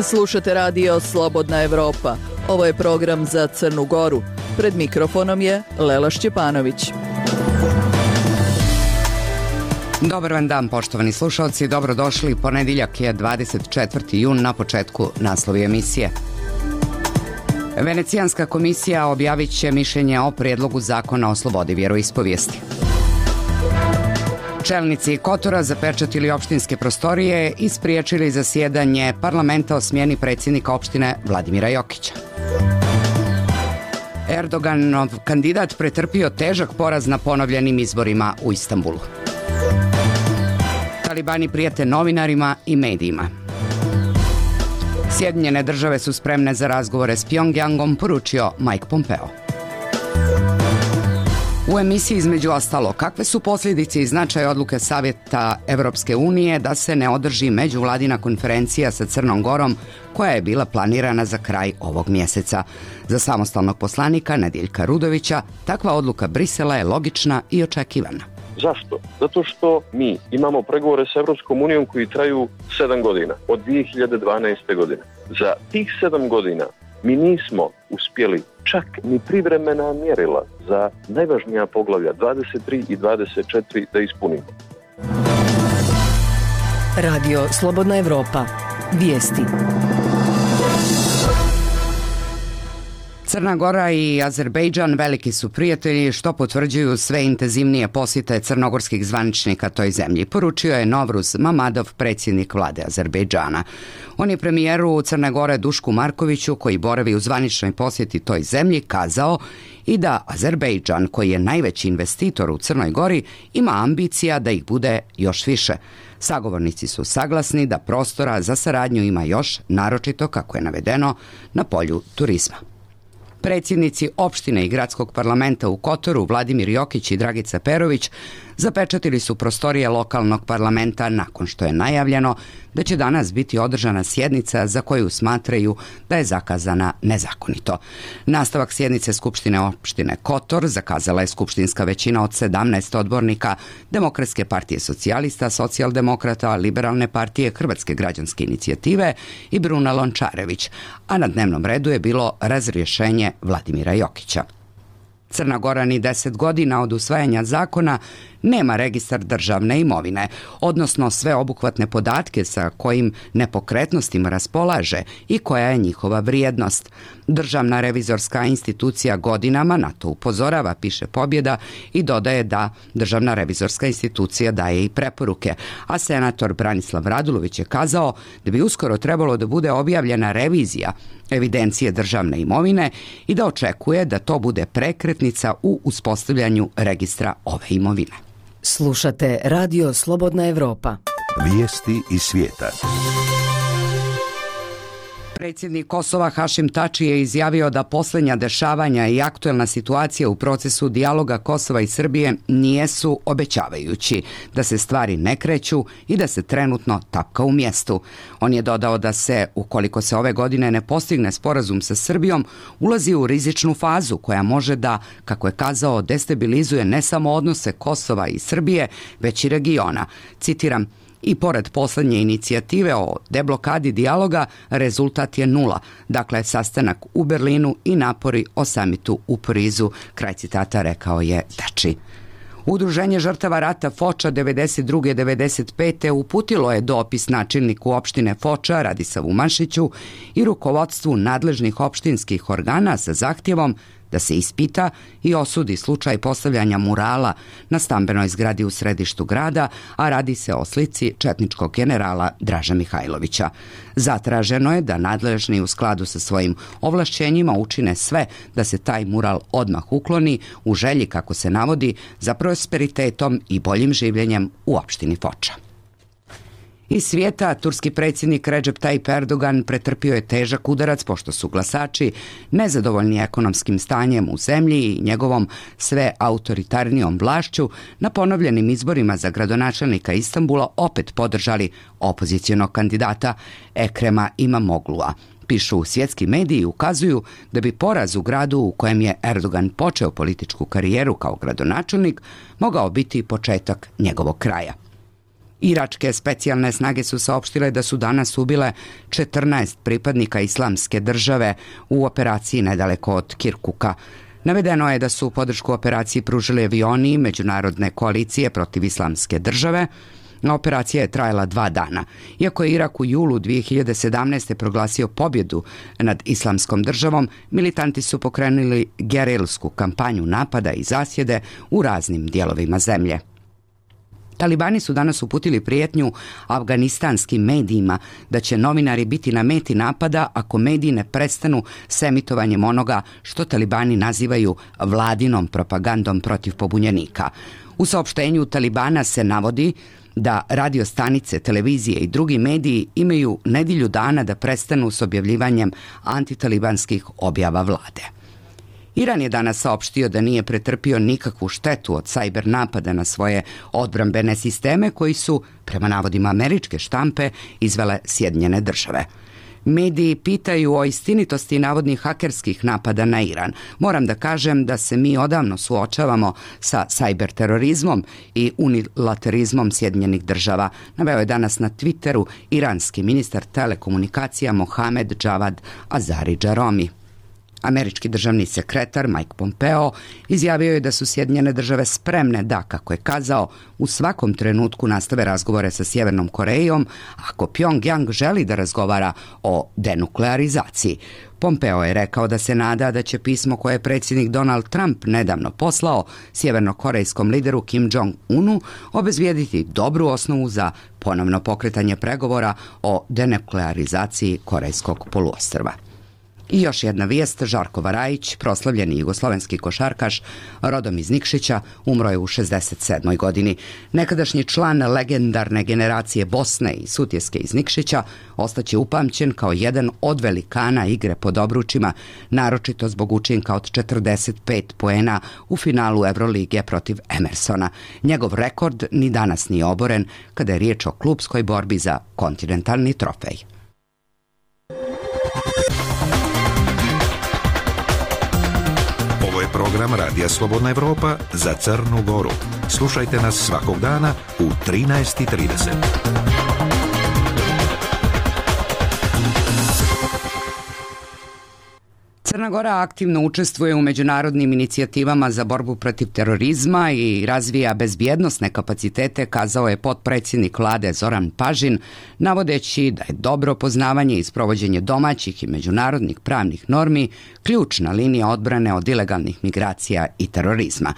Slušate radio Slobodna Evropa. Ovo je program za Crnu Goru. Pred mikrofonom je Lela Šćepanović. Dobar vam dan, poštovani slušalci. Dobrodošli. Ponedjeljak je 24. jun, na početku naslovi emisije. Venecijanska komisija objavit će mišljenje o prijedlogu zakona o slobodi vjeroispovijesti. Čelnici Kotora zapečatili opštinske prostorije i spriječili zasjedanje parlamenta o smjeni predsjednika opštine Vladimira Jokića. Erdoganov kandidat pretrpio težak poraz na ponovljenim izborima u Istanbulu. Talibani prijete novinarima i medijima. Sjedinjene države su spremne za razgovore s Pjongjangom, poručio Mike Pompeo. U emisiji između ostalo, kakve su posljedice i značaj odluke Savjeta Evropske unije da se ne održi međuvladina konferencija sa Crnom Gorom koja je bila planirana za kraj ovog mjeseca. Za samostalnog poslanika Nediljka Rudovića takva odluka Brisela je logična i očekivana. Zašto? Zato što mi imamo pregovore s Evropskom unijom koji traju 7 godina, od 2012. godine. Za tih 7 godina mi nismo uspjeli čak ni privremena mjerila za najvažnija poglavlja 23 i 24 da ispunimo. Radio Slobodna Evropa. Vijesti. Crna Gora i Azerbejdžan veliki su prijatelji, što potvrđuju sve intenzivnije posjete crnogorskih zvaničnika toj zemlji, poručio je Novruz Mamadov, predsjednik vlade Azerbejdžana. On je premijeru Crne Gore Dušku Markoviću, koji boravi u zvaničnoj posjeti toj zemlji, kazao i da Azerbejdžan, koji je najveći investitor u Crnoj Gori, ima ambicija da ih bude još više. Sagovornici su saglasni da prostora za saradnju ima još, naročito, kako je navedeno, na polju turizma. Predsjednici opštine i gradskog parlamenta u Kotoru, Vladimir Jokić i Dragica Perović, zapečatili su prostorije lokalnog parlamenta nakon što je najavljeno da će danas biti održana sjednica za koju smatraju da je zakazana nezakonito. Nastavak sjednice Skupštine opštine Kotor zakazala je skupštinska većina od 17 odbornika Demokratske partije socijalista, socijaldemokrata, Liberalne partije, Hrvatske građanske inicijative i Bruna Lončarević, a na dnevnom redu je bilo razrješenje Vladimira Jokića. Crna Gora ni 10 godina od usvajanja zakona nema registar državne imovine, odnosno sve obuhvatne podatke sa kojim nepokretnostima raspolaže i koja je njihova vrijednost. Državna revizorska institucija godinama na to upozorava, piše Pobjeda, i dodaje da Državna revizorska institucija daje i preporuke, a senator Branislav Radulović je kazao da bi uskoro trebalo da bude objavljena revizija evidencije državne imovine i da očekuje da to bude prekretnica u uspostavljanju registra ove imovine. Slušate Radio Slobodna Evropa. Vijesti iz svijeta. Predsjednik Kosova Hašim Tači je izjavio da posljednja dešavanja i aktuelna situacija u procesu dijaloga Kosova i Srbije nijesu obećavajući, da se stvari ne kreću i da se trenutno tapka u mjestu. On je dodao da se, ukoliko se ove godine ne postigne sporazum sa Srbijom, ulazi u rizičnu fazu koja može da, kako je kazao, destabilizuje ne samo odnose Kosova i Srbije, već i regiona. Citiram: "I pored posljednje inicijative o deblokadi dijaloga, rezultat je nula. Dakle, sastanak u Berlinu i napori o samitu u Parizu", kraj citata, rekao je Tači. Udruženje žrtava rata Foča 92. 95. uputilo je dopis načelniku opštine Foča Radisavu Mašiću i rukovodstvu nadležnih opštinskih organa sa zahtjevom da se ispita i osudi slučaj postavljanja murala na stambenoj zgradi u središtu grada, a radi se o slici četničkog generala Draža Mihajlovića. Zatraženo je da nadležni u skladu sa svojim ovlašćenjima učine sve da se taj mural odmah ukloni u želji, kako se navodi, za prosperitetom i boljim življenjem u opštini Foča. Iz svijeta, turski predsjednik Recep Tayyip Erdogan pretrpio je težak udarac pošto su glasači nezadovoljni ekonomskim stanjem u zemlji i njegovom sve autoritarnijom vlašću na ponovljenim izborima za gradonačelnika Istanbula opet podržali opozicionog kandidata Ekrema Imamoglu'a. Pišu svjetski mediji i ukazuju da bi poraz u gradu u kojem je Erdogan počeo političku karijeru kao gradonačelnik mogao biti početak njegovog kraja. Iračke specijalne snage su saopštile da su danas ubile 14 pripadnika Islamske države u operaciji nedaleko od Kirkuka. Navedeno je da su podršku operaciji pružili avioni međunarodne koalicije protiv Islamske države. Operacija je trajala 2 dana. Iako je Irak u julu 2017. proglasio pobjedu nad Islamskom državom, militanti su pokrenuli gerilsku kampanju napada i zasjede u raznim dijelovima zemlje. Talibani su danas uputili prijetnju afganistanskim medijima da će novinari biti na meti napada ako mediji ne prestanu s emitovanjem onoga što talibani nazivaju vladinom propagandom protiv pobunjenika. U saopštenju Talibana se navodi da radiostanice, televizije i drugi mediji imaju nedjelju dana da prestanu s objavljivanjem antitalibanskih objava vlade. Iran je danas saopštio da nije pretrpio nikakvu štetu od sajber napada na svoje odbrambene sisteme koji su, prema navodima američke štampe, izvele Sjedinjene države. Mediji pitaju o istinitosti navodnih hakerskih napada na Iran. Moram da kažem da se mi odavno suočavamo sa sajber terorizmom i unilaterizmom Sjedinjenih država, naveo je danas na Twitteru iranski ministar telekomunikacija Mohamed Javad Azari Džaromi. Američki državni sekretar Mike Pompeo izjavio je da su Sjedinjene države spremne da, kako je kazao, u svakom trenutku nastave razgovore sa Sjevernom Korejom ako Pjongjang želi da razgovara o denuklearizaciji. Pompeo je rekao da se nada da će pismo koje je predsjednik Donald Trump nedavno poslao sjevernokorejskom lideru Kim Jong-unu obezbijediti dobru osnovu za ponovno pokretanje pregovora o denuklearizaciji Korejskog poluostrva. I još jedna vijest, Žarko Varajić, proslavljeni jugoslovenski košarkaš, rodom iz Nikšića, umro je u 67. godini. Nekadašnji član legendarne generacije Bosne i Sutjeske iz Nikšića ostaće upamćen kao jedan od velikana igre pod obručima, naročito zbog učinka od 45 poena u finalu Evrolige protiv Emersona. Njegov rekord ni danas nije oboren kada je riječ o klupskoj borbi za kontinentalni trofej. Ovo je program Radija Slobodna Evropa za Crnu Goru. Slušajte nas svakog dana u 13:30. Crna Gora aktivno učestvuje u međunarodnim inicijativama za borbu protiv terorizma i razvija bezbjednosne kapacitete, kazao je potpredsjednik vlade Zoran Pažin, navodeći da je dobro poznavanje i sprovođenje domaćih i međunarodnih pravnih normi ključna linija odbrane od ilegalnih migracija i terorizma.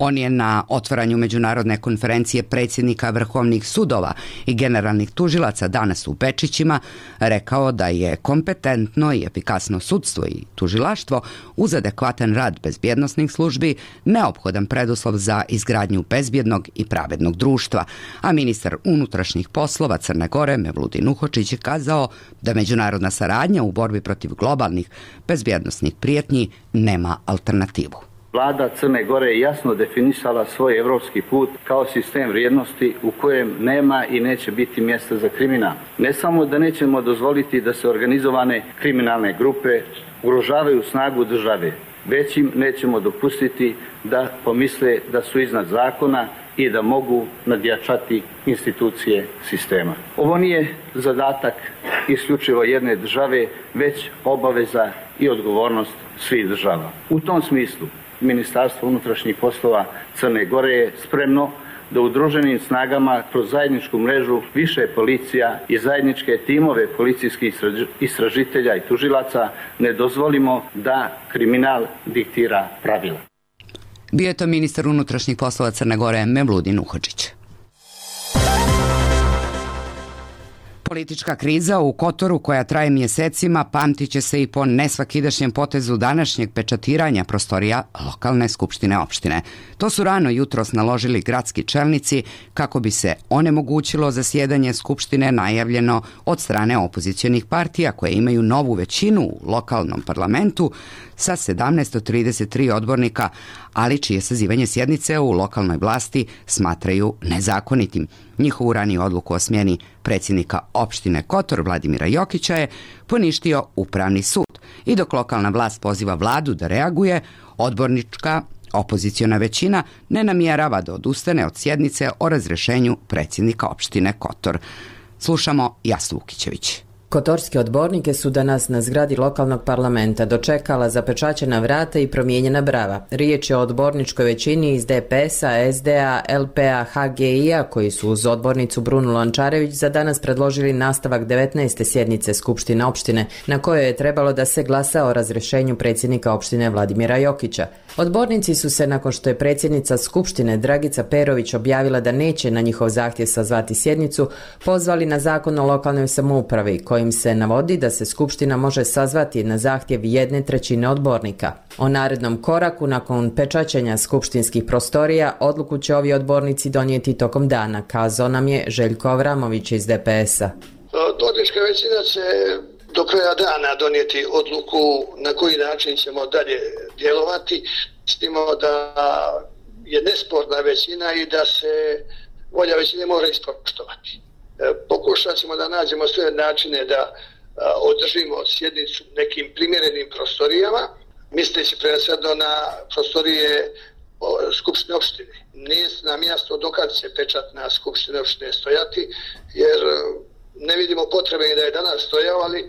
On je na otvaranju međunarodne konferencije predsjednika vrhovnih sudova i generalnih tužilaca danas u Bečićima rekao da je kompetentno i efikasno sudstvo i tužilaštvo uz adekvatan rad bezbjednosnih službi neophodan preduslov za izgradnju bezbjednog i pravednog društva, a ministar unutrašnjih poslova Crne Gore Mevludin Uhočić je kazao da međunarodna saradnja u borbi protiv globalnih bezbjednosnih prijetnji nema alternativu. Vlada Crne Gore je jasno definisala svoj evropski put kao sistem vrijednosti u kojem nema i neće biti mjesta za kriminal. Ne samo da nećemo dozvoliti da se organizovane kriminalne grupe ugrožavaju snagu države, već im nećemo dopustiti da pomisle da su iznad zakona i da mogu nadjačati institucije sistema. Ovo nije zadatak isključivo jedne države, već obaveza i odgovornost svih država. U tom smislu Ministarstvo unutrašnjih poslova Crne Gore je spremno da udruženim snagama kroz zajedničku mrežu više policija i zajedničke timove policijskih istražitelja i tužilaca ne dozvolimo da kriminal diktira pravila. Bio je to ministar unutrašnjih poslova Crne Gore Mevludin Uhočić. Politička kriza u Kotoru koja traje mjesecima pamtit će se i po nesvakidašnjem potezu današnjeg pečatiranja prostorija lokalne skupštine opštine. To su rano jutros naložili gradski čelnici kako bi se onemogućilo zasjedanje skupštine najavljeno od strane opozicionih partija koje imaju novu većinu u lokalnom parlamentu sa 1733 odbornika, ali čije sazivanje sjednice u lokalnoj vlasti smatraju nezakonitim. Njihovu raniju odluku o smjeni predsjednika opštine Kotor Vladimira Jokića je poništio Upravni sud. I dok lokalna vlast poziva vladu da reaguje, odbornička Opoziciona većina ne namjerava da odustane od sjednice o razrješenju predsjednika opštine Kotor. Slušamo Jasnu Vukićević. Kotorske odbornike su danas na zgradi lokalnog parlamenta dočekala zapečaćena vrata i promijenjena brava. Riječ je o odborničkoj većini iz DPS-a, SDA, LPA, HGI-a koji su uz odbornicu Brunu Lončarević za danas predložili nastavak 19. sjednice Skupštine opštine na kojoj je trebalo da se glasa o razrješenju predsjednika opštine Vladimira Jokića. Odbornici su se, nakon što je predsjednica Skupštine Dragica Perović objavila da neće na njihov zahtjev sazvati sjednicu, pozvali na Zakon o lokalnoj samoupravi kojim se navodi da se Skupština može sazvati na zahtjev 1/3 odbornika. O narednom koraku nakon pečaćenja skupštinskih prostorija odluku će ovi odbornici donijeti tokom dana, kazao nam je Željko Avramović iz DPS-a. Odbornička većina će do kraja dana donijeti odluku na koji način ćemo dalje djelovati, s tim da je nesporna većina i da se volja većine mora ispoštovati. Pokušat ćemo da nađemo sve načine da održimo sjednicu nekim primjerenim prostorijama, misleći prvenstveno na prostorije Skupštine opštine. Nije nam jasno dokad će pečat na Skupštine opštine stojati, jer ne vidimo potrebe i da je danas stojao, ali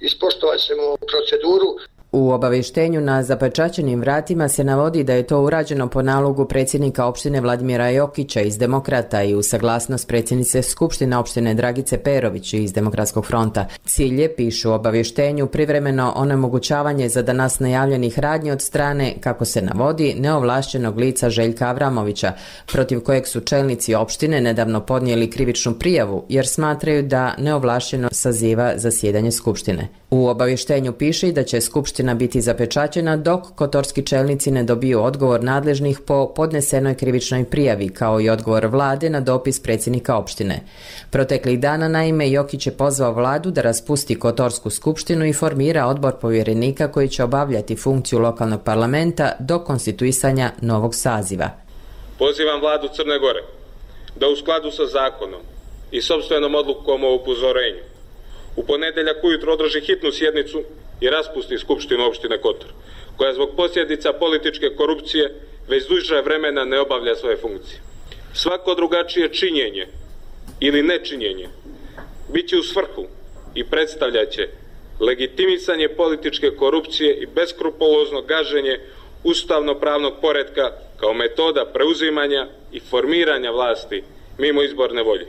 ispoštovat ćemo proceduru. U obavještenju na zapečaćenim vratima se navodi da je to urađeno po nalogu predsjednika opštine Vladimira Jokića iz Demokrata i u saglasnost predsjednice Skupštine opštine Dragice Perović iz Demokratskog fronta. Cilj je, pišu u obavještenju, privremeno onemogućavanje za danas najavljenih radnji od strane, kako se navodi, neovlašćenog lica Željka Avramovića, protiv kojeg su čelnici opštine nedavno podnijeli krivičnu prijavu jer smatraju da neovlašćeno saziva zasjedanje Skupštine. U obavještenju piše da će Skupština biti zapečaćena dok kotorski čelnici ne dobiju odgovor nadležnih po podnesenoj krivičnoj prijavi, kao i odgovor vlade na dopis predsjednika opštine. Proteklih dana, naime, Jokić je pozvao vladu da raspusti Kotorsku skupštinu i formira odbor povjerenika koji će obavljati funkciju lokalnog parlamenta do konstituisanja novog saziva. Pozivam vladu Crne Gore da u skladu sa zakonom i sopstvenom odlukom o upozorenju u ponedjeljak ujutro održi hitnu sjednicu i raspusti Skupštinu opštine Kotor, koja zbog posljedica političke korupcije već duže vremena ne obavlja svoje funkcije. Svako drugačije činjenje ili nečinjenje bit će u svrhu i predstavljaće legitimisanje političke korupcije i beskrupulozno gaženje ustavno-pravnog poretka kao metoda preuzimanja i formiranja vlasti mimo izborne volje.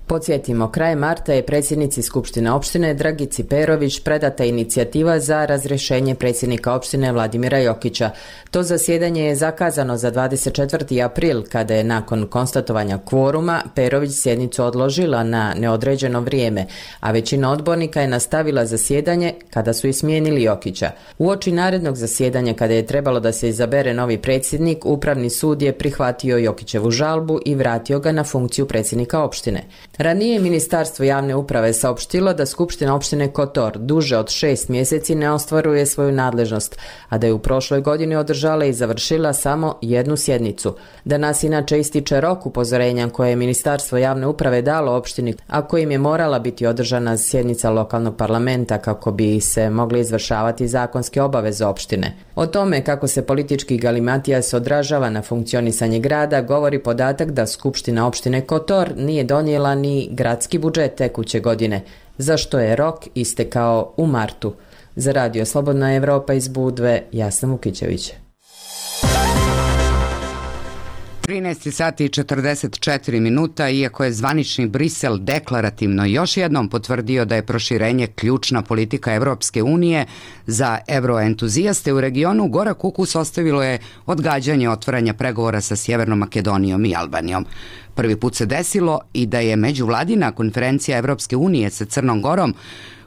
Podsjetimo, krajem marta je predsjednici Skupštine opštine Dragici Perović predata inicijativa za razrješenje predsjednika opštine Vladimira Jokića. To zasjedanje je zakazano za 24. april, kada je nakon konstatovanja kvoruma Perović sjednicu odložila na neodređeno vrijeme, a većina odbornika je nastavila zasjedanje kada su i smijenili Jokića. Uoči narednog zasjedanja, kada je trebalo da se izabere novi predsjednik, Upravni sud je prihvatio Jokićevu žalbu i vratio ga na funkciju predsjednika opštine. Ranije je Ministarstvo javne uprave saopštilo da Skupština opštine Kotor duže od 6 mjeseci ne ostvaruje svoju nadležnost, a da je u prošloj godini održala i završila samo jednu sjednicu. Danas inače ističe rok upozorenja koje je Ministarstvo javne uprave dalo opštini, a kojim je morala biti održana sjednica lokalnog parlamenta kako bi se mogli izvršavati zakonske obaveze opštine. O tome kako se politički galimatijas odražava na funkcionisanje grada govori podatak da Skupština opštine Kotor nije donijela ni gradski budžet tekuće godine, za što je rok istekao u martu. Za Radio Slobodna Evropa iz Budve, Jasna Vukićević. 13 sati i 44 minuta, iako je zvanični Brisel deklarativno još jednom potvrdio da je proširenje ključna politika Evropske unije za evroentuzijaste u regionu, gorak ukus ostavilo je odgađanje otvaranja pregovora sa Sjevernom Makedonijom i Albanijom. Prvi put se desilo i da je međuvladina konferencija Evropske unije sa Crnom Gorom,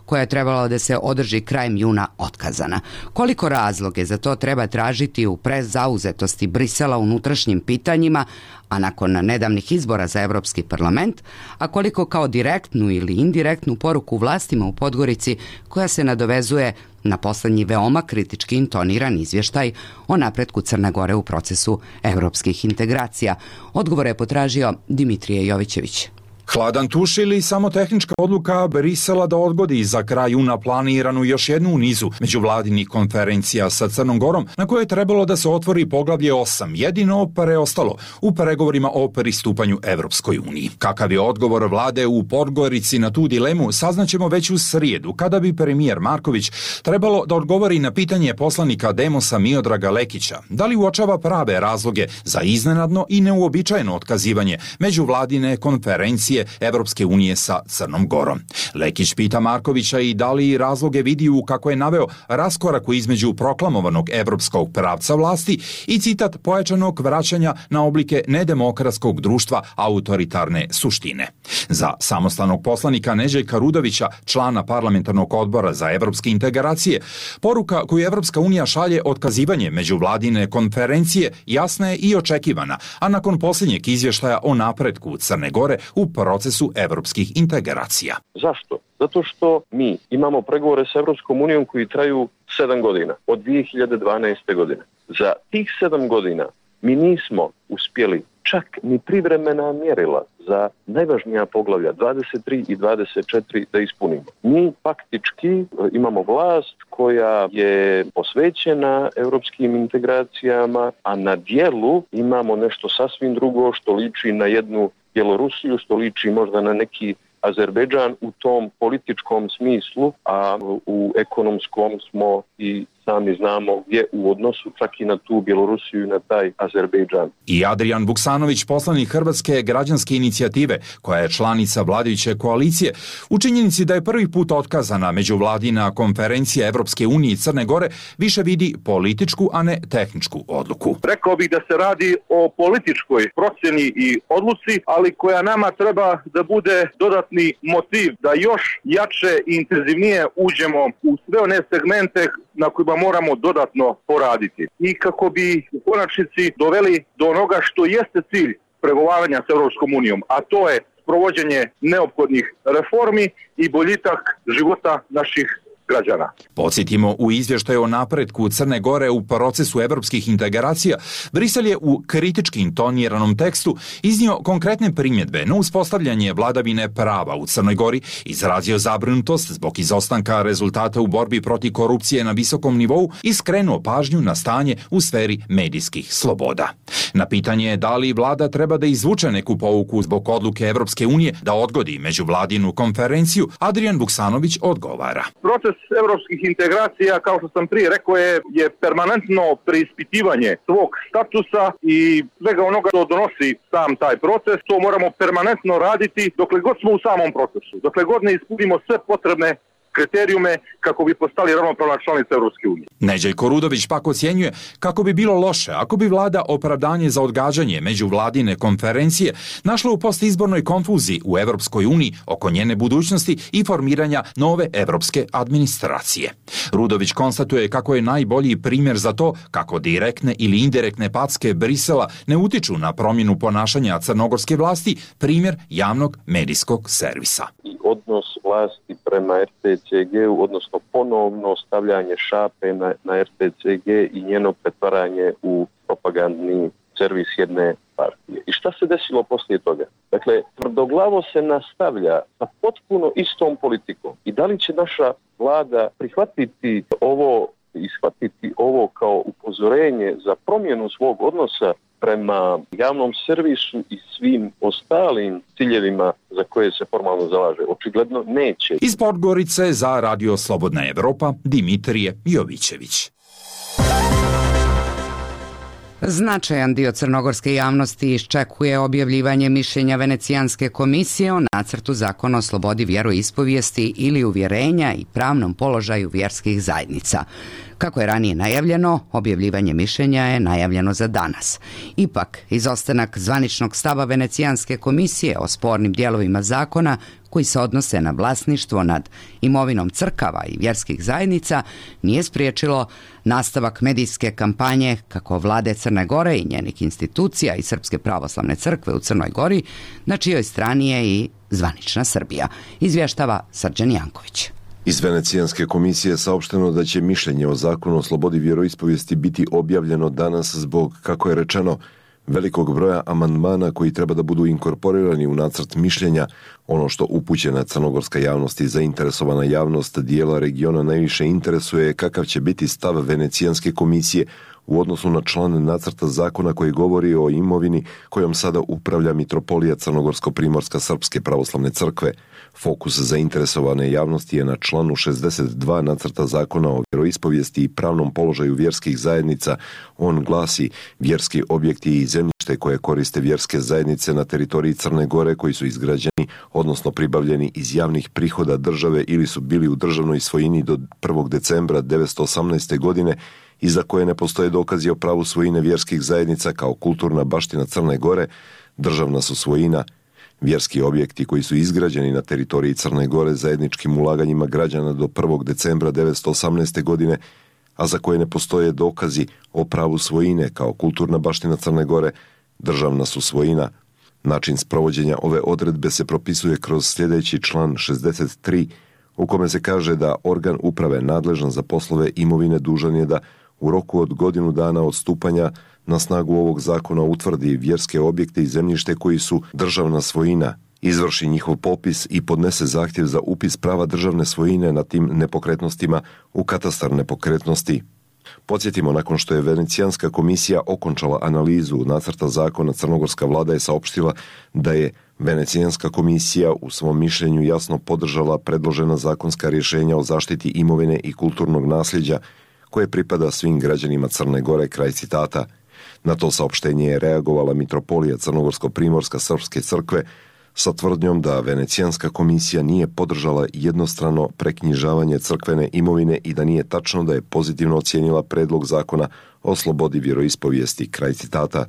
koja je trebala da se održi krajem juna, otkazana. Koliko razloge za to treba tražiti u prezauzetosti Brisela unutrašnjim pitanjima, a nakon nedavnih izbora za Evropski parlament, a koliko kao direktnu ili indirektnu poruku vlastima u Podgorici koja se nadovezuje na poslednji veoma kritički intoniran izvještaj o napretku Crne Gore u procesu evropskih integracija. Odgovore je potražio Dimitrije Jovićević. Hladan tuš ili samo tehnička odluka Brisela da odgodi za kraj juna planiranu još jednu u nizu međuvladinih konferencija sa Crnom Gorom na kojoj je trebalo da se otvori poglavlje 8, jedino preostalo u pregovorima o pristupanju Evropskoj uniji. Kakav je odgovor vlade u Podgorici na tu dilemu saznaćemo već u srijedu, kada bi premijer Marković trebalo da odgovori na pitanje poslanika Demosa Miodraga Lekića, da li uočava prave razloge za iznenadno i neuobičajeno otkazivanje međuvladine konferencije Evropske unije sa Crnom Gorom. Lekić pita Markovića i da li razloge vidi u, kako je naveo, raskoraku između proklamovanog evropskog pravca vlasti i citat pojačanog vraćanja na oblike nedemokratskog društva autoritarne suštine. Za samostalnog poslanika Neđeljka Rudovića, člana parlamentarnog odbora za evropske integracije, poruka koju Evropska unija šalje otkazivanje međuvladine konferencije jasna je i očekivana, a nakon posljednjeg izvještaja o napretku Crne Gore u procesu evropskih integracija. Zašto? Zato što mi imamo pregovore s Evropskom unijom koji traju 7 godina, od 2012. godine. Za tih 7 godina mi nismo uspjeli čak ni privremena mjerila za najvažnija poglavlja 23 i 24 da ispunimo. Mi faktički imamo vlast koja je posvećena europskim integracijama, a na dijelu imamo nešto sasvim drugo što liči na jednu Bjelorusiju, što liči možda na neki Azerbejdžan u tom političkom smislu, a u ekonomskom smo i sami znamo gdje u odnosu čak i na tu Bjelorusiju i na taj Azerbejdžan. I Adrijan Vuksanović, poslanik Hrvatske građanske inicijative, koja je članica vladajuće koalicije, u činjenici da je prvi put otkazana međuvladina konferencija Evropske unije i Crne Gore, više vidi političku, a ne tehničku odluku. Rekao bih da se radi o političkoj procjeni i odluci, ali koja nama treba da bude dodatni motiv da još jače i intenzivnije uđemo u sve one segmente na kojima moramo dodatno poraditi. I kako bi u konačnici doveli do onoga što jeste cilj pregovaranja s Europskom unijom, a to je provođenje neophodnih reformi i boljitak života naših građana. Podsjetimo, u izvještaju o napretku Crne Gore u procesu evropskih integracija, Brisel je u kritički intoniranom tekstu iznio konkretne primjedbe na uspostavljanje vladavine prava u Crnoj Gori, izrazio zabrinutost zbog izostanka rezultata u borbi protiv korupcije na visokom nivou i skrenuo pažnju na stanje u sferi medijskih sloboda. Na pitanje da li vlada treba da izvuče neku pouku zbog odluke Evropske unije da odgodi međuvladinu konferenciju, Adrijan Vuksanović odgovara. Proces evropskih integracija, kao što sam prije rekao, je permanentno preispitivanje svog statusa i svega onoga što donosi sam taj proces. To moramo permanentno raditi dokle god smo u samom procesu, dokle god ne ispunimo sve potrebne kriterijume kako bi postali ravnopravna članica Evropske unije. Neđeljko Rudović pak ocjenjuje kako bi bilo loše ako bi vlada opravdanje za odgađanje međuvladine konferencije našla u postizbornoj konfuziji u Evropskoj uniji oko njene budućnosti i formiranja nove evropske administracije. Rudović konstatuje kako je najbolji primjer za to kako direktne ili indirektne packe Brisela ne utiču na promjenu ponašanja crnogorske vlasti, primjer javnog medijskog servisa. I odnos vlasti prema RTCG-u, odnosno ponovno stavljanje šape na RTCG i njeno pretvaranje u propagandni servis jedne partije. I šta se desilo poslije toga? Dakle, tvrdoglavo se nastavlja sa potpuno istom politikom. I da li će naša vlada prihvatiti ovo i shvatiti ovo kao upozorenje za promjenu svog odnosa prema javnom servisu i svim ostalim ciljevima za koje se formalno zalaže? Očigledno neće. Iz Podgorice za Radio Slobodna Evropa, Dimitrije Jovićević. Značajan dio crnogorske javnosti iščekuje objavljivanje mišljenja Venecijanske komisije o nacrtu zakona o slobodi vjeroispovijesti ili uvjerenja i pravnom položaju vjerskih zajednica. Kako je ranije najavljeno, objavljivanje mišljenja je najavljeno za danas. Ipak, izostanak zvaničnog stava Venecijanske komisije o spornim dijelovima zakona koji se odnose na vlasništvo nad imovinom crkava i vjerskih zajednica nije spriječilo nastavak medijske kampanje kako vlade Crne Gore i njenih institucija i Srpske pravoslavne crkve u Crnoj Gori, na čijoj strani je i zvanična Srbija, izvještava Srđan Janković. Iz Venecijanske komisije je saopšteno da će mišljenje o zakonu o slobodi vjeroispovijesti biti objavljeno danas zbog, kako je rečeno, velikog broja amandmana koji treba da budu inkorporirani u nacrt mišljenja, ono što upućena crnogorska javnost i zainteresovana javnost dijela regiona najviše interesuje kakav će biti stav Venecijanske komisije u odnosu na član nacrta zakona koji govori o imovini kojom sada upravlja Mitropolija Crnogorsko-Primorska Srpske pravoslavne crkve. Fokus zainteresovane javnosti je na članu 62 nacrta zakona o vjeroispovijesti i pravnom položaju vjerskih zajednica. On glasi: vjerski objekti i zemljište koje koriste vjerske zajednice na teritoriji Crne Gore koji su izgrađeni, odnosno pribavljeni iz javnih prihoda države ili su bili u državnoj svojini do 1. decembra 1918. godine i za koje ne postoje dokazi o pravu svojine vjerskih zajednica kao kulturna baština Crne Gore, državna su svojina. Vjerski objekti koji su izgrađeni na teritoriji Crne Gore zajedničkim ulaganjima građana do 1. decembra 1918. godine, a za koje ne postoje dokazi o pravu svojine kao kulturna baština Crne Gore, državna su svojina. Način sprovođenja ove odredbe se propisuje kroz sljedeći član 63, u kome se kaže da organ uprave nadležan za poslove imovine dužan je da u roku od godinu dana od stupanja na snagu ovog zakona utvrdi vjerske objekte i zemljište koji su državna svojina, izvrši njihov popis i podnese zahtjev za upis prava državne svojine na tim nepokretnostima u katastar nepokretnosti. Podsjetimo, nakon što je Venecijanska komisija okončala analizu nacrta zakona, crnogorska vlada je saopštila da je Venecijanska komisija u svom mišljenju jasno podržala predložena zakonska rješenja o zaštiti imovine i kulturnog nasljeđa koje pripada svim građanima Crne Gore, kraj citata. Na to saopštenje je reagovala Mitropolija Crnogorsko-Primorska Srpske crkve sa tvrdnjom da Venecijanska komisija nije podržala jednostrano preknjižavanje crkvene imovine i da nije tačno da je pozitivno ocijenila predlog zakona o slobodi vjeroispovijesti, kraj citata.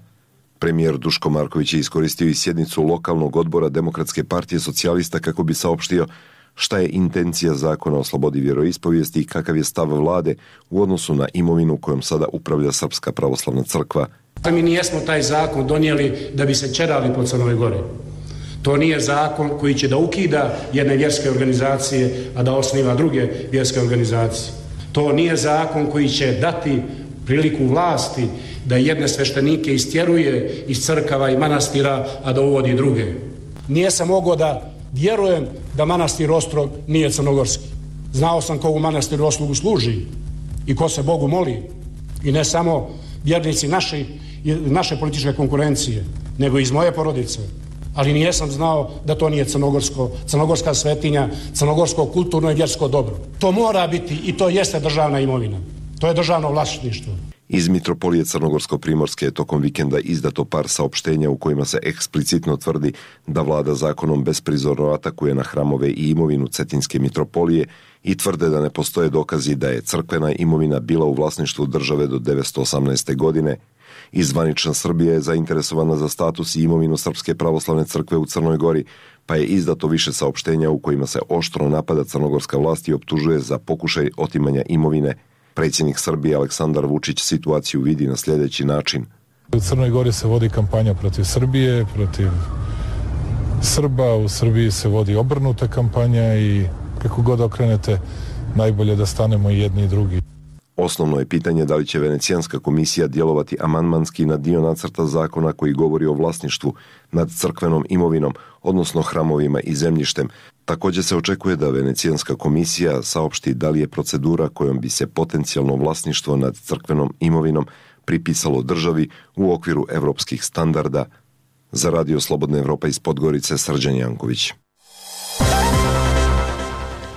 Premijer Duško Marković je iskoristio i sjednicu lokalnog odbora Demokratske partije socijalista kako bi saopštio šta je intencija zakona o slobodi vjeroispovijesti i kakav je stav vlade u odnosu na imovinu kojom sada upravlja Srpska pravoslavna crkva. Mi nijesmo taj zakon donijeli da bi se ćerali po Crnoj Gori. To nije zakon koji će da ukida jedne vjerske organizacije, a da osniva druge vjerske organizacije. To nije zakon koji će dati priliku vlasti da jedne sveštenike istjeruje iz crkava i manastira, a da uvodi druge. Nijesam mogao da vjerujem da manastir Ostrog nije crnogorski. Znao sam ko u manastiru Ostrogu služi i ko se Bogu moli. I ne samo vjernici naše političke konkurencije, nego iz moje porodice. Ali nijesam znao da to nije crnogorska svetinja, crnogorsko kulturno i vjersko dobro. To mora biti i to jeste državna imovina. To je državno vlasništvo. Iz Mitropolije Crnogorsko-Primorske je tokom vikenda izdato par saopštenja u kojima se eksplicitno tvrdi da vlada zakonom besprizorno atakuje na hramove i imovinu Cetinske mitropolije i tvrde da ne postoje dokazi da je crkvena imovina bila u vlasništvu države do 1918. godine. I zvanična Srbija je zainteresovana za status i imovinu Srpske pravoslavne crkve u Crnoj Gori, pa je izdato više saopštenja u kojima se oštro napada crnogorska vlast i optužuje za pokušaj otimanja imovine. Predsjednik Srbije Aleksandar Vučić situaciju vidi na sljedeći način. U Crnoj Gori se vodi kampanja protiv Srbije, protiv Srba, u Srbiji se vodi obrnuta kampanja i kako god okrenete, najbolje da stanemo i jedni i drugi. Osnovno je pitanje da li će Venecijanska komisija djelovati amandmanski na dio nacrta zakona koji govori o vlasništvu nad crkvenom imovinom, odnosno hramovima i zemljištem. Također se očekuje da Venecijanska komisija saopšti da li je procedura kojom bi se potencijalno vlasništvo nad crkvenom imovinom pripisalo državi u okviru evropskih standarda. Za Radio Slobodna Evropa iz Podgorice, Srđan Janković.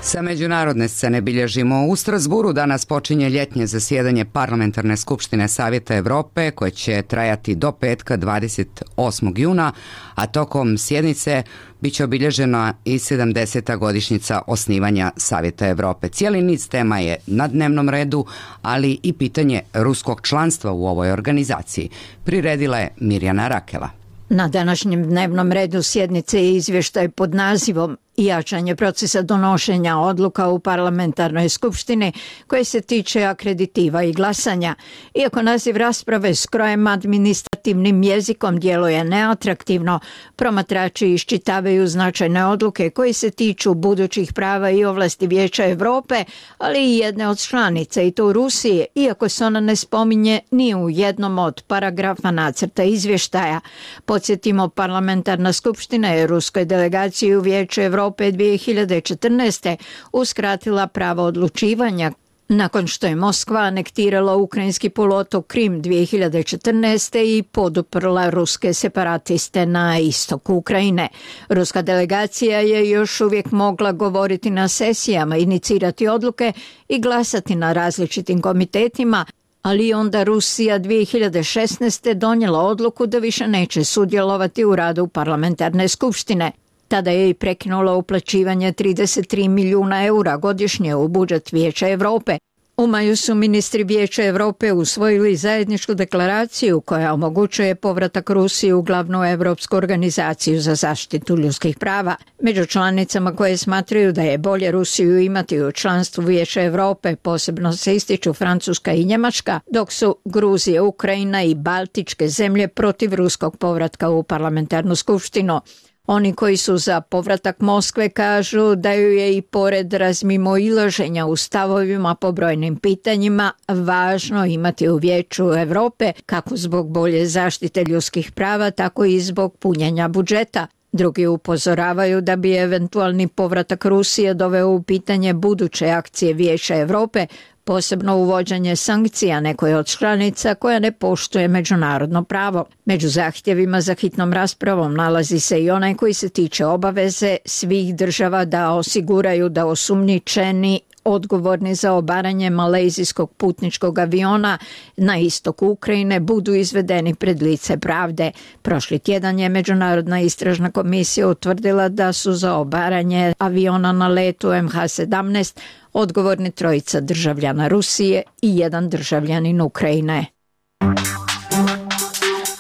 Sa međunarodne scene bilježimo u Strasburu. Danas počinje ljetnje zasjedanje Parlamentarne skupštine Savjeta Evrope koje će trajati do petka 28. juna, a tokom sjednice bit će obilježena i 70. godišnjica osnivanja Savjeta Evrope. Cijeli niz tema je na dnevnom redu, ali i pitanje ruskog članstva u ovoj organizaciji. Priredila je Mirjana Rakela. Na današnjem dnevnom redu sjednice je izvještaj pod nazivom i jačanje procesa donošenja odluka u parlamentarnoj skupštini koje se tiče akreditiva i glasanja. Iako naziv rasprave skrojem administrativnim jezikom djeluje neatraktivno, promatrači iščitavaju značajne odluke koje se tiču budućih prava i ovlasti Vijeća Europe, ali i jedne od članica, i to Rusije, iako se ona ne spominje ni u jednom od paragrafa nacrta izvještaja. Podsjetimo, parlamentarna skupština je ruskoj delegaciji u Vijeću Europe 2014. uskratila pravo odlučivanja nakon što je Moskva anektirala ukrajinski poluotok Krim 2014. i poduprla ruske separatiste na istoku Ukrajine. Ruska delegacija je još uvijek mogla govoriti na sesijama, inicirati odluke i glasati na različitim komitetima, ali onda Rusija 2016. donijela odluku da više neće sudjelovati u radu parlamentarne skupštine. Tada je i prekinula uplaćivanje 33 milijuna eura godišnje u budžet Vijeća Europe. U maju su ministri Vijeća Europe usvojili zajedničku deklaraciju koja omogućuje povratak Rusije u glavnu Europsku organizaciju za zaštitu ljudskih prava. Među članicama koje smatraju da je bolje Rusiju imati u članstvu Vijeća Europe posebno se ističu Francuska i Njemačka, dok su Gruzija, Ukrajina i Baltičke zemlje protiv ruskog povratka u parlamentarnu skupštinu. Oni koji su za povratak Moskve kažu da ju je i pored razmimoilaženja u stavovima po brojnim pitanjima važno imati u Vijeću Europe kako zbog bolje zaštite ljudskih prava, tako i zbog punjenja budžeta. Drugi upozoravaju da bi eventualni povratak Rusije doveo u pitanje buduće akcije Vijeća Europe, posebno uvođenje sankcija nekoj od članica koja ne poštuje međunarodno pravo. Među zahtjevima za hitnom raspravom nalazi se i onaj koji se tiče obaveze svih država da osiguraju da osumnjičeni odgovorni za obaranje malezijskog putničkog aviona na istoku Ukrajine budu izvedeni pred lice pravde. Prošli tjedan je Međunarodna istražna komisija utvrdila da su za obaranje aviona na letu MH17 odgovorni trojica državljana Rusije i jedan državljanin Ukrajine.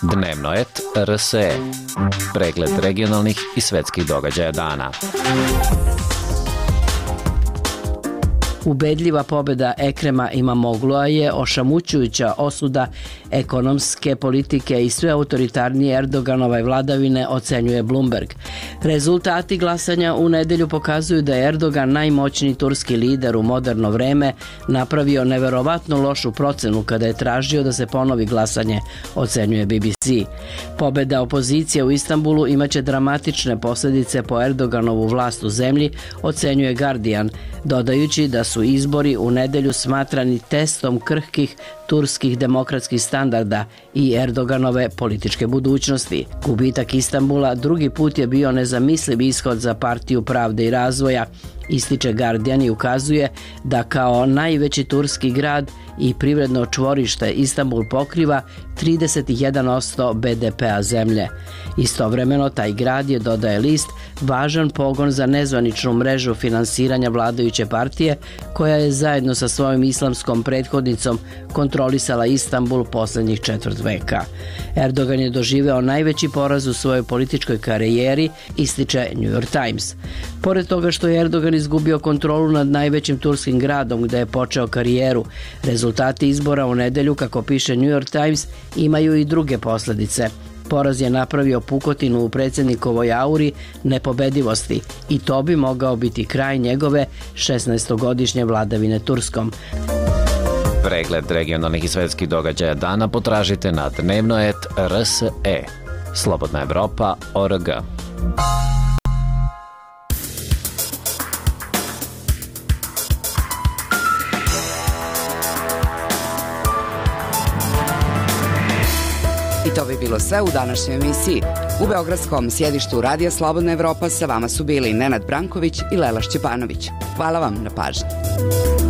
Dnevno et RSE. Pregled regionalnih i svetskih događaja dana. Ubedljiva pobjeda Ekrema Imamoglu'a je ošamućujuća osuda ekonomske politike i sve autoritarnije Erdoganove vladavine, ocenjuje Bloomberg. Rezultati glasanja u nedjelju pokazuju da je Erdogan, najmoćniji turski lider u moderno vreme, napravio neverovatno lošu procenu kada je tražio da se ponovi glasanje, ocenjuje BBC. Pobjeda opozicije u Istanbulu imaće dramatične posljedice po Erdoganovu vlast u zemlji, ocenjuje Guardian, dodajući da su izbori u nedjelju smatrani testom krhkih turskih demokratskih standarda i Erdoganove političke budućnosti. Gubitak Istanbula drugi put je bio nezamisliv ishod za Partiju pravde i razvoja, ističe Guardian i ukazuje da kao najveći turski grad i privredno čvorište Istanbul pokriva 31% BDP-a zemlje. Istovremeno taj grad je, dodaje list, važan pogon za nezvaničnu mrežu finansiranja vladajuće partije koja je zajedno sa svojom islamskom prethodnicom kontrolisala Istanbul posljednjih četvrt veka. Erdogan je doživeo najveći poraz u svojoj političkoj karijeri, ističe New York Times. Pored toga što je Erdogan izgubio kontrolu nad najvećim turskim gradom gdje je počeo karijeru, rezultati izbora u nedjelju, kako piše New York Times, imaju i druge posljedice. Poraz je napravio pukotinu u predsjednikovoj auri nepobedivosti i to bi mogao biti kraj njegove 16-godišnje vladavine Turskom. Pregled regionalnih i svetskih događaja dana potražite na dnevnoet.rse. Slobodna Evropa.org. I to bi bilo sve u današnjoj emisiji. U beogradskom sjedištu Radija Slobodna Evropa sa vama su bili Nenad Branković i Lela Šćepanović. Hvala vam na pažnji.